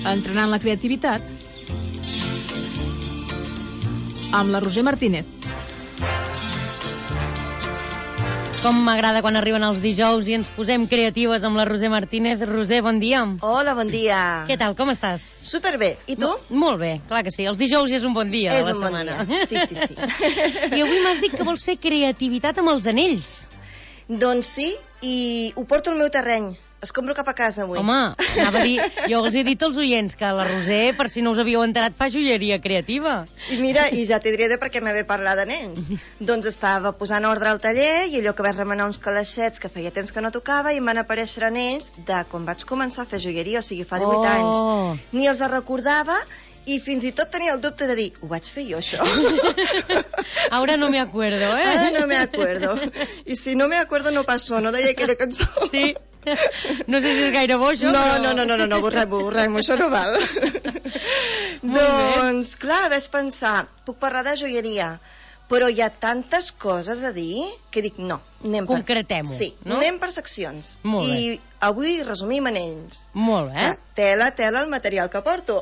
Entrenant la creativitat amb la Roser Martínez. Com m'agrada quan arriben els dijous i ens posem creatives amb la Roser Martínez. Roser, bon dia. Hola, bon dia. Què tal, com estàs? Superbé. I tu? Molt bé, clar que sí. Els dijous és un bon dia de la setmana. Bon dia. Sí. I avui m'has dit que vols fer creativitat amb els anells. Doncs sí, i ho porto al meu terreny. Es compro cap a casa avui. Home, anava a dir, jo els he dit als oients que la Roser, per si no us havíeu enterat, fa joieria creativa. I mira, i ja t'hi diré de per què m'he ve parlar de nens. Doncs estava posant ordre al taller i allò que vaig remenar uns calaixets que feia temps que no tocava i em van aparèixer anells de quan vaig començar a fer joieria, o sigui, fa 18 anys. Ni els recordava i fins i tot tenia el dubte de dir, ho vaig fer jo, això? Ahora no me acuerdo, eh? Ahora no me acuerdo. I si no me acuerdo no pasó, no deia aquella cançó. Sí. No sé si és gaire bo, això, No, borrem, això no val. Doncs, clar, vaig pensar, puc parlar de joieria, però hi ha tantes coses a dir que dic, no, anem per... Concretem-ho, sí, no? Anem per seccions. Molt bé. I avui resumim anells. Molt bé. Tela el material que porto.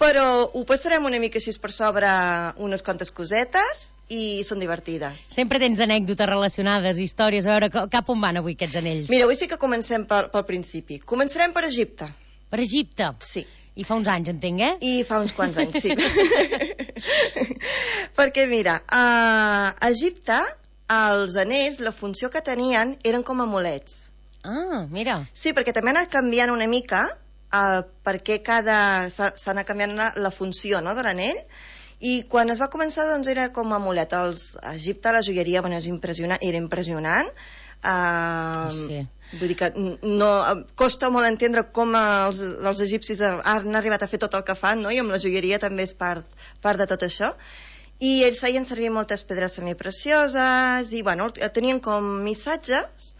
Però ho passarem una mica així per sobre unes quantes cosetes i són divertides. Sempre tens anècdotes relacionades, històries, a veure cap on van avui aquests anells. Mira, avui sí que comencem pel principi. Començarem per Egipte. Per Egipte? Sí. I fa uns anys, entenc, eh? I fa uns quants anys, sí. Perquè, mira, a Egipte, els anells, la funció que tenien eren com amulets. Ah, mira. Sí, perquè també ha anat canviant una mica perquè s'ha anat canviant la funció, no, de l'anell. I quan es va començar, doncs, era com amulet. A Egipte la joieria, bueno, era impressionant. Sí. Vull dir que no, costa molt entendre com els egipcis han arribat a fer tot el que fan, no? I amb la joieria també és part de tot això. I ells feien servir moltes pedres semiprecioses i, bueno, tenien com missatges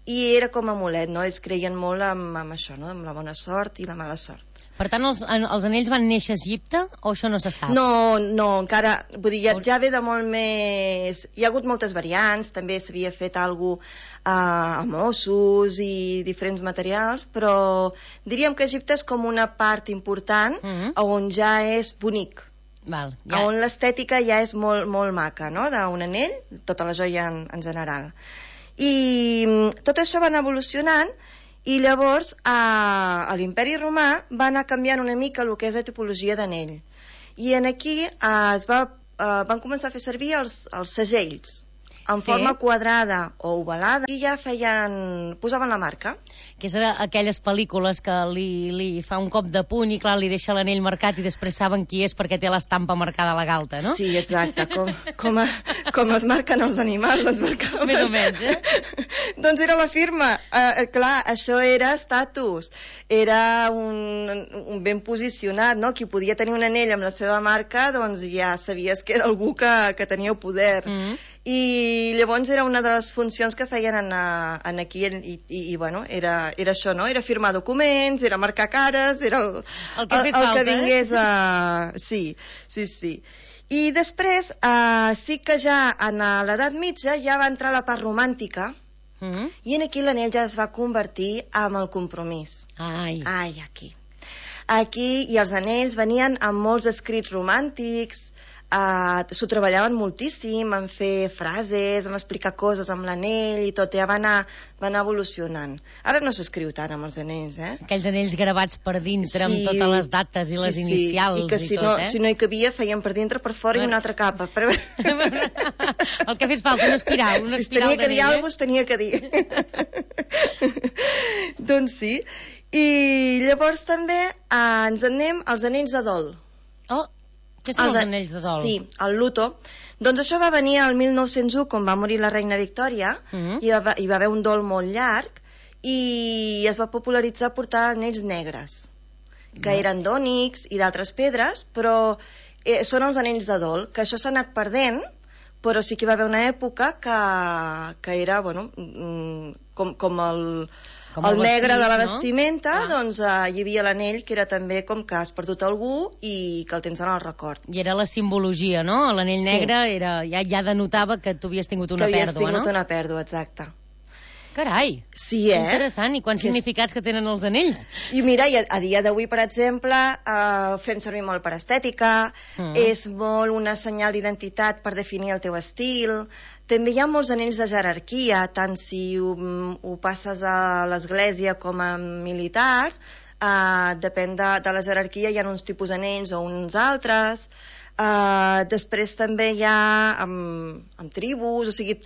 i era com amulet, no? Ells creien molt amb això, no? Amb la bona sort i la mala sort. Per tant, els anells van néixer a Egipte o això no se sap? No, encara, vull dir, ja ve de molt més... Hi ha hagut moltes variants, també s'havia fet alguna cosa amb ossos i diferents materials, però diríem que Egipte és com una part important on ja és bonic. Val, ja. On l'estètica ja és molt, molt maca, no?, d'un anell, tota la joia en general. I tot això va anar evolucionant i llavors a l'Imperi Romà va anar canviant una mica el que és la tipologia d'anell. I aquí van començar a fer servir els segells en forma quadrada o ovalada i ja posaven la marca. Que és aquelles pel·lícules que li fa un cop de puny i clar, li deixa l'anell marcat i després saben qui és perquè té l'estampa marcada a la galta, no? Sí, exacte, com es marquen els animals, doncs marcaven. Més o menys, Doncs era la firma, clar, això era estatus, era un ben posicionat, no? Qui podia tenir un anell amb la seva marca, doncs ja sabies que era algú que tenia poder. I llavors era una de les funcions que feien aquí i bueno, era això, no? Era firmar documents, era marcar cares, era el que vingués a... Sí. I després sí que ja en l'edat mitja ja va entrar la part romàntica i aquí l'anell ja es va convertir en el compromís. Aquí. I els anells venien amb molts escrits romàntics, s'ho treballaven moltíssim en fer frases, en explicar coses amb l'anell i tot, ja va anar evolucionant. Ara no s'escriu tant amb els anells, Aquells anells gravats per dintre amb totes les dates i les inicials i que si no hi cabia feien per dintre, per fora i una altra capa. El que fes falta, una espiral si tenia que dir alguna cosa, tenia que dir. Doncs sí. I llavors també ens anem als anells de dol. Què són els anells de dol? Sí, el luto. Doncs això va venir al 1901, quan va morir la reina Victòria, i va haver un dol molt llarg, i es va popularitzar portar anells negres, que eren d'ònix i d'altres pedres, però són els anells de dol, que això s'ha anat perdent, però sí que hi va haver una època que era, bueno, com el negre de la vestimenta, doncs hi havia l'anell que era també com que has perdut algú i que el tens en el record. I era la simbologia, no? L'anell negre ja denotava que tu havies tingut una pèrdua, no? Que havies tingut una pèrdua, exacte. Carai! Sí, Interessant. I quants significats que tenen els anells? I mira, a dia d'avui, per exemple, fem servir molt per estètica, és molt una senyal d'identitat per definir el teu estil. També hi ha molts anells de jerarquia, tant si ho passes a l'església com a militar, depèn de la jerarquia, hi ha uns tipus d'anells o uns altres. Després també hi ha amb tribus, o sigui,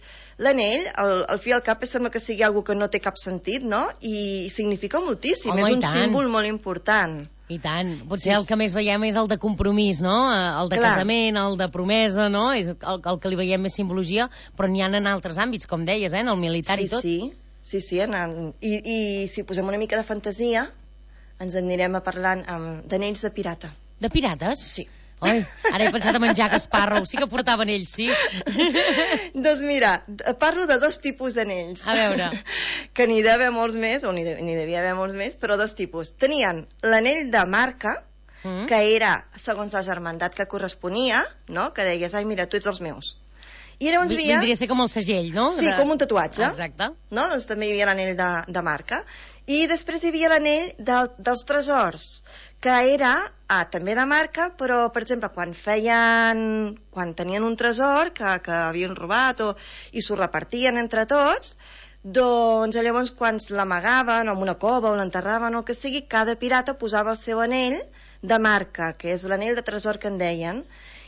l'anell, al fi i al cap, sembla que sigui algo que no té cap sentit, no? I significa moltíssim, és un símbol molt important. I tant. Potser el que més veiem és el de compromís, no? El de casament, el de promesa, no? És el que li veiem més simbologia, però n'hi ha en altres àmbits, com deies, en el militar i tot. Sí, i si posem una mica de fantasia, ens anirem parlant d'anells de pirata. De pirates? Sí. Oi, ara he pensat en Jack Sparrow, sí que portaven ells, sí. Doncs mira, parlo de 2 tipus d'anells. A veure. Que n'hi devia haver molts més, o n'hi devia haver molts més, però 2 tipus. Tenien l'anell de marca, que era segons la germandat que corresponia, no? Que deies, ai, mira, tu ets els meus. I llavors vindria a ser com el segell, no? Sí, com un tatuatge. Exacte. No? Doncs també hi havia l'anell de marca. I després hi havia l'anell dels tresors, que era també de marca, però, per exemple, quan tenien un tresor que havien robat i s'ho repartien entre tots, doncs llavors quan l'amagaven en una cova o l'enterraven o el que sigui, cada pirata posava el seu anell de marca, que és l'anell de tresor que en deien.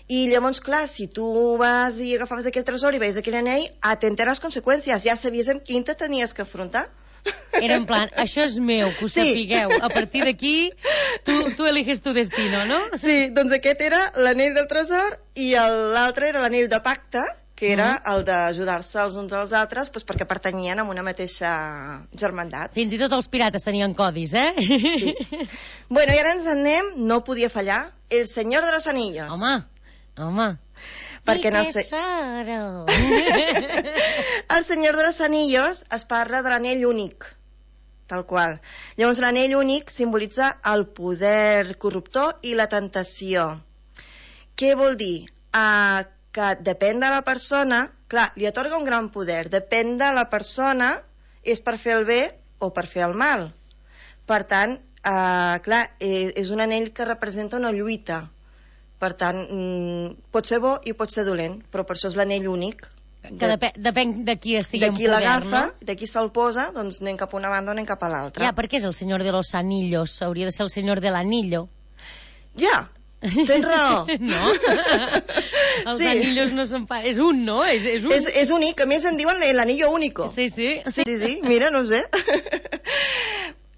I llavors, clar, si tu vas i agafaves aquell tresor i veies aquell anell, atenta a les conseqüències, ja sabies amb quin te tenies que afrontar. Era en plan, això és meu, que ho sapigueu. A partir d'aquí, tu eliges tu destino, no? Sí, doncs aquest era l'anell del tresor i l'altre era l'anell de pacte, que era el d'ajudar-se els uns als altres perquè pertanyien a una mateixa germandat. Fins i tot els pirates tenien codis, eh? Sí. Bueno, i ara ens anem, no podia fallar, el Senyor de los Anillos. Home. Perquè el Senyor de los Anillos es parla de l'anell únic, tal qual. Llavors l'anell únic simbolitza el poder corruptor i la tentació. Què vol dir? Que depèn de la persona, clar, li atorga un gran poder, depèn de la persona, és per fer el bé o per fer el mal. Per tant, clar, és un anell que representa una lluita. Per tant, pot ser bo i pot ser dolent, però per això és l'anell únic. Que depèn de qui estigui en poder, no? De qui l'agafa, de qui se'l posa, doncs anem cap a una banda o anem cap a l'altra. Ja, per què és el senyor de los anillos? Hauria de ser el senyor de l'anillo. Ja, tens raó. No? Els anillos no són... És un, no? És un. És únic, a més en diuen l'anillo único. Sí, mira, no ho sé.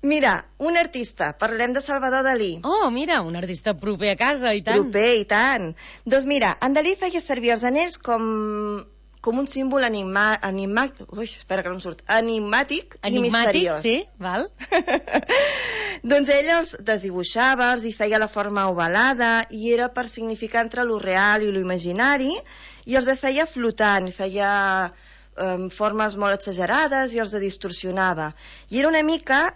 Mira, un artista, parlem de Salvador Dalí. Oh, mira, un artista proper a casa, i tant. Proper, i tant. Doncs mira, en Dalí feia servir els anells com un símbol enigmàtic i misteriós. Sí, val. Doncs ell els desdibuixava, els hi feia la forma ovalada i era per significar entre lo real i lo imaginari i els feia flotant, feia formes molt exagerades i els distorsionava. I era una mica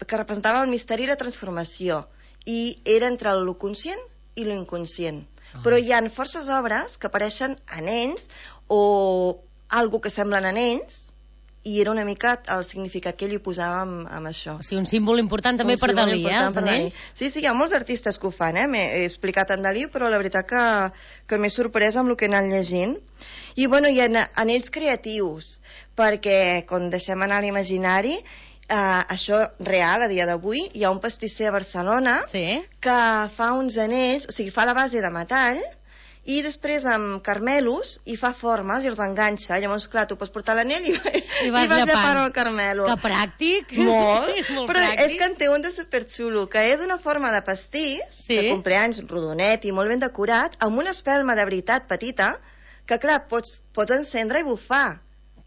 que representava el misteri i la transformació. I era entre lo conscient i lo inconscient. Però hi ha forces obres que apareixen anells o algo que semblen anells i era una mica el significat que ell hi posava amb això. O sigui, un símbol important també per Dalí, els anells? Sí, hi ha molts artistes que ho fan, m'he explicat en Dalí, però la veritat que m'he sorprès amb el que he anat llegint. I bueno, hi ha anells creatius, perquè quan deixem anar l'imaginari, això real, a dia d'avui, hi ha un pastisser a Barcelona que fa uns anells, o sigui, fa la base de metall, i després amb carmelos hi fa formes i els enganxa. Llavors, clar, tu pots portar l'anell i vas llepant el carmelo. Que pràctic! Molt. Molt però pràctic. És que en té un de superxulo, que és una forma de pastís, de compleanys rodonet i molt ben decorat, amb una espelma de veritat petita, que clar, pots encendre i bufar.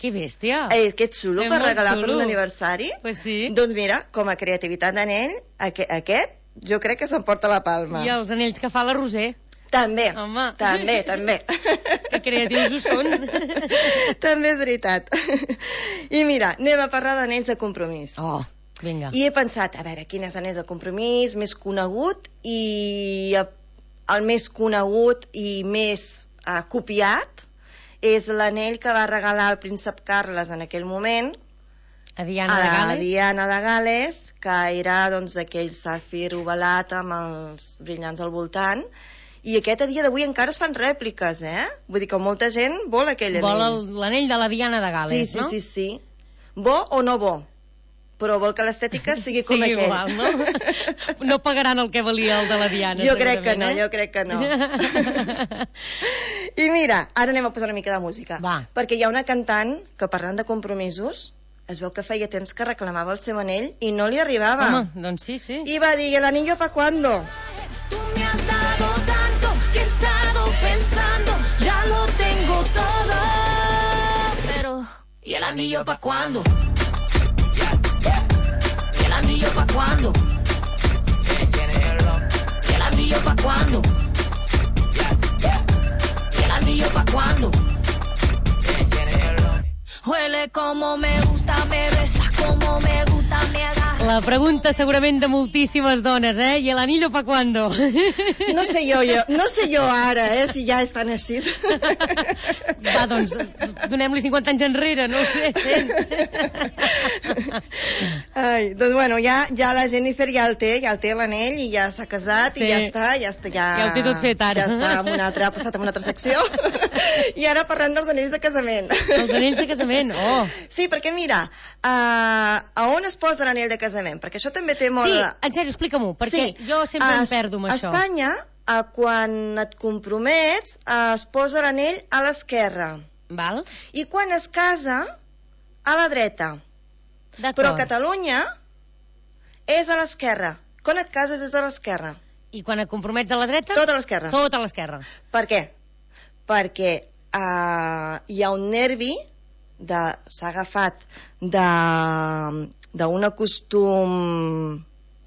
Que bèstia! Que xulo per regalar per un aniversari. Pues sí. Doncs mira, com a creativitat d'anell, aquest jo crec que s'emporta la palma. I els anells que fa la Roser. També, home. També. Que creatius ho són. També és veritat. I mira, anem a parlar d'anells de compromís. Oh, vinga. I he pensat, a veure, quin és l'anell de compromís més conegut i el més conegut i més copiat és l'anell que va regalar el príncep Carles en aquell moment A Diana de Gal·les. A Diana de Gal·les, que era doncs, aquell safir ovalat amb els brillants al voltant. I aquest a dia d'avui encara es fan rèpliques, Vull dir que molta gent vol aquell anell. Vol l'anell de la Diana de Gal·les, no? Sí. Bo o no bo? Però vol que l'estètica sigui com aquell. Igual, no? No pagaran el que valia el de la Diana, jo crec que no. I mira, ara anem a posar una mica de música. Va. Perquè hi ha una cantant que, parlant de compromisos, es veu que feia temps que reclamava el seu anell i no li arribava. Home, doncs sí. I va dir, ¿el anillo pa' cuándo? Tú me has dado tanto que he estado pensando, ya lo tengo todo. Pero, ¿y el anillo pa' cuándo? ¿Y el anillo pa' cuándo? ¿Y el anillo pa' cuándo? ¿Y el anillo pa' cuándo? Huele como me gusta, me besas como me gusta, me agarras. La pregunta segurament de moltíssimes dones, I el anillo pa' cuándo? No sé jo ara, si ja estan així. Va, doncs, donem-li 50 anys enrere, no ho sé, 100. Ai, doncs bueno, ja la Jennifer ja el té l'anell i ja s'ha casat i ja està. Ja ho té tot fet ara. Ja està, ha passat a una altra secció. I ara parlem dels anells de casament. Els anells de casament, oh. Sí, perquè mira, a on es posa l'anell de casament? Perquè això també té molt... Sí, en sèrio, explica-m'ho, perquè jo sempre em perdo amb això. A Espanya, quan et compromets, es posa l'anell a l'esquerra. Val. I quan es casa, a la dreta. D'acord. Però a Catalunya és a l'esquerra. Quan et cases és a l'esquerra. I quan et compromets a la dreta? Tot a l'esquerra. Tot a l'esquerra. Per què? Perquè hi ha un nervi, s'ha agafat d'un costum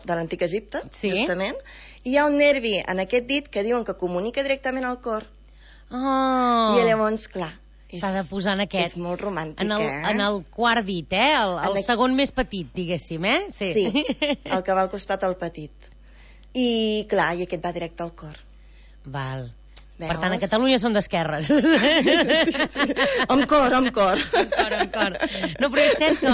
de l'antic Egipte, justament, i hi ha un nervi en aquest dit que diuen que comunica directament al cor. Oh. I llavors, clar, s'ha de posar en aquest. És molt romàntic, en el quart dit, el segon més petit, diguéssim, Sí, el que va al costat el petit. I, clar, i aquest va directe al cor. Val. Veus? Per tant, a Catalunya són d'esquerres. Sí. Amb cor. Amb cor. No, però és cert que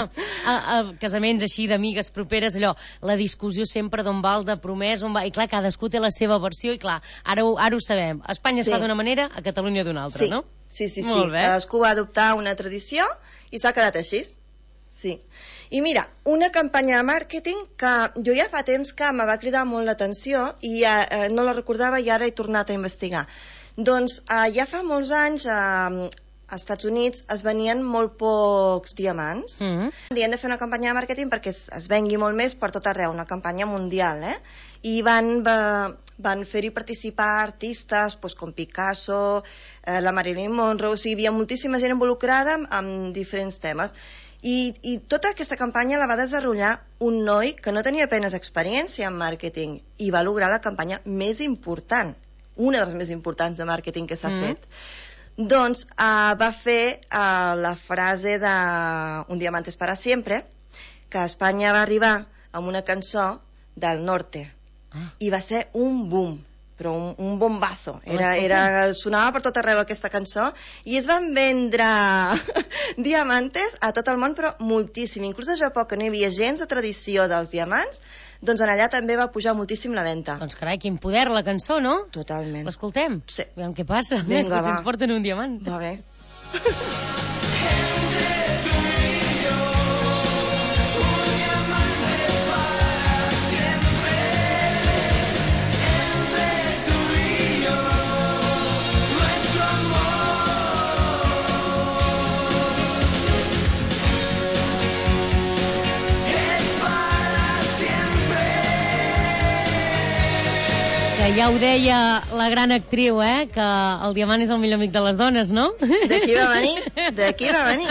a casaments així d'amigues properes, allò, la discussió sempre d'on va el de promès, on va... I clar, cadascú té la seva versió i clar, ara ho sabem. A Espanya es fa d'una manera, a Catalunya d'una altra, no? Sí. Molt bé. Cadascú va adoptar una tradició i s'ha quedat així. Sí. I mira, una campanya de màrqueting que jo ja fa temps que me va cridar molt l'atenció i no la recordava i ara he tornat a investigar. Doncs ja fa molts anys als Estats Units es venien molt pocs diamants. I han de fer una campanya de màrqueting perquè es vengui molt més per tot arreu, una campanya mundial, I van fer-hi participar artistes com Picasso, la Marilyn Monroe, o sigui, hi havia moltíssima gent involucrada amb diferents temes. I tota aquesta campanya la va desenvolupar un noi que no tenia apenas experiència en màrqueting i va lograr la campanya més important, una de les més importants de màrqueting que s'ha fet. Doncs va fer la frase de Un diamante es para siempre, que a Espanya va arribar amb una cançó del Norte i va ser un boom, però un bombazo. Sonava per tot arreu aquesta cançó i es van vendre diamantes a tot el món, però moltíssim. Inclús a Japó, que no hi havia gens de tradició dels diamants, doncs en allà també va pujar moltíssim la venda. Doncs carai, quin poder la cançó, no? Totalment. L'escoltem? Sí. Veiem què passa. Vinga, Potser ens porten un diamant. Va bé. Ja ho deia la gran actriu, que el diamant és el millor amic de les dones, no? D'aquí va venir.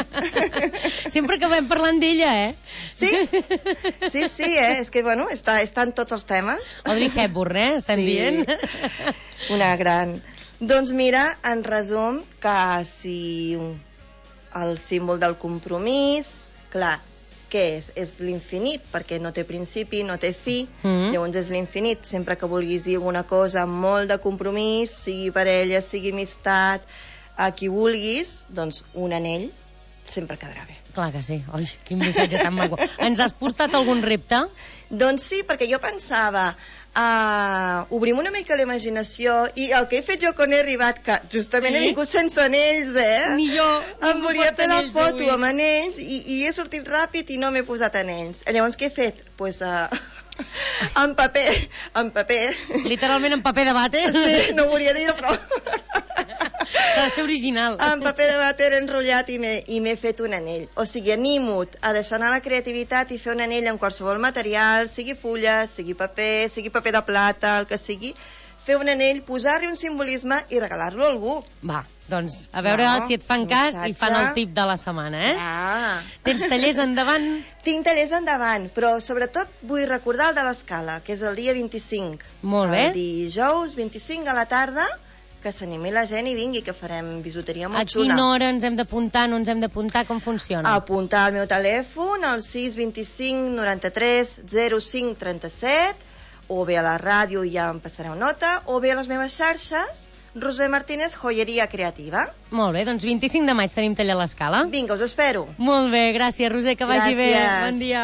Sempre acabem parlant d'ella, Sí, és que, bueno, està en tots els temes. Audrey Hepburn, estem dient. Una gran. Doncs mira, en resum, que si el símbol del compromís, clar, què és? És l'infinit, perquè no té principi, no té fi, llavors és l'infinit. Sempre que vulguis dir alguna cosa amb molt de compromís, sigui parella, sigui amistat, a qui vulguis, doncs un anell sempre quedarà bé. Clar que sí. Ai, quin missatge tan maco. Ens has portat algun repte? Doncs sí, perquè jo pensava, obrim una mica la imaginació, i el que he fet jo quan he arribat, que justament he vingut sense anells, Ni jo. em volia fer la foto amb anells i he sortit ràpid i no m'he posat anells. Llavors què he fet? Pues, en paper. Literalment en paper de vàter? Sí, no ho volia dir, però... S'ha de ser original. En paper de vàter enrotllat i m'he fet un anell. O sigui, animo-'t a deixar anar la creativitat i fer un anell amb qualsevol material, sigui fulla, sigui paper de plata, el que sigui. Fer un anell, posar-li un simbolisme i regalar-lo a algú. Va, doncs, a veure si et fan cas i fan el tip de la setmana, Tens tallers endavant? Tinc tallers endavant, però sobretot vull recordar el de l'Escala, que és el dia 25. Molt bé. El dijous 25 a la tarda, que s'animi la gent i vingui, que farem bisuteria molt xula. A quina hora ens hem d'apuntar, no ens hem d'apuntar, com funciona? Apuntar al meu telèfon, al 625 93 05 37, o bé a la ràdio ja em passareu nota, o bé a les meves xarxes, Roser Martínez, Joieria Creativa. Molt bé, doncs 25 de maig tenim taller a l'Escala. Vinga, us espero. Molt bé, gràcies, Roser, que vagi bé. Gràcies. Bon dia.